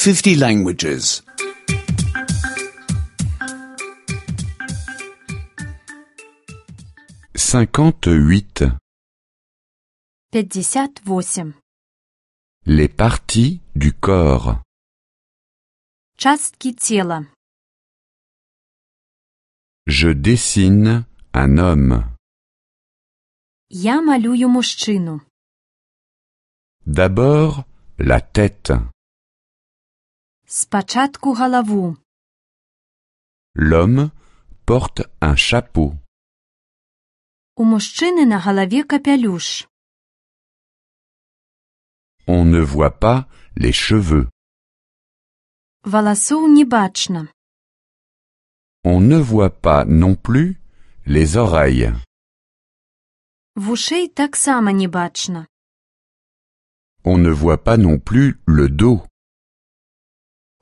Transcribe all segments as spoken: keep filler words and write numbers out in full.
fifty languages. cinquante-huit. пятьдесят восемь. Les parties du corps. Частки тела. Je dessine un homme. Я малюю мужчину. D'abord, la tête. Спочатку голову. L'homme porte un chapeau. У мужчини на голові капелюш. On ne voit pas les cheveux. Волосов не бачно. On ne voit pas non plus les oreilles. Вушей так само не бачно. On ne voit pas non plus le dos.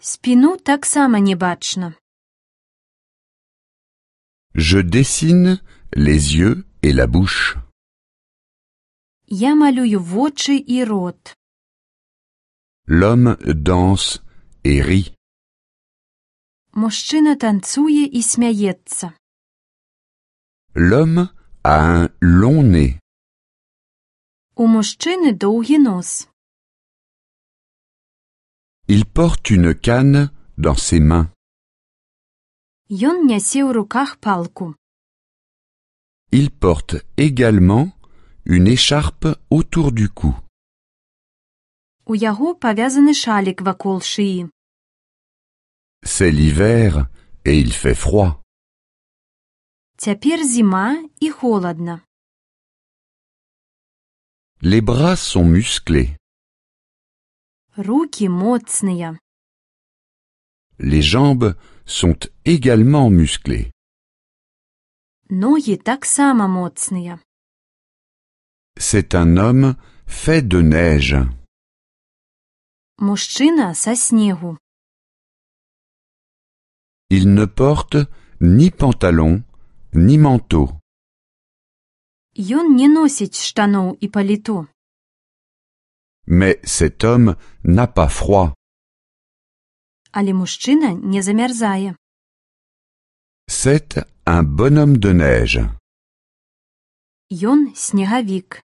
Спину так само не бачно. Je dessine les yeux et la bouche. Я малюю вочі і рот. L'homme danse et rit. Мужчина танцює і сміється. L'homme a un long nez. У мужчини довгий нос. Il porte une canne dans ses mains. Ён нясе ў руках палку. Il porte également une écharpe autour du cou. У яго павязаны шалік вакол шиї. C'est l'hiver et il fait froid. Цяпер зіма і холадна. Les bras sont musclés. Рукі моцныя. Les jambes sont également musclées. Ногі таксама моцныя. C'est un homme fait de neige. Мужчина са снегу. Il ne porte ni pantalon ni manteau. Ён не носіць штаноў і паліто. Mais cet homme n'a pas froid. Але мужчына не замярзае. C'est un bonhomme de neige. Ён снегавік.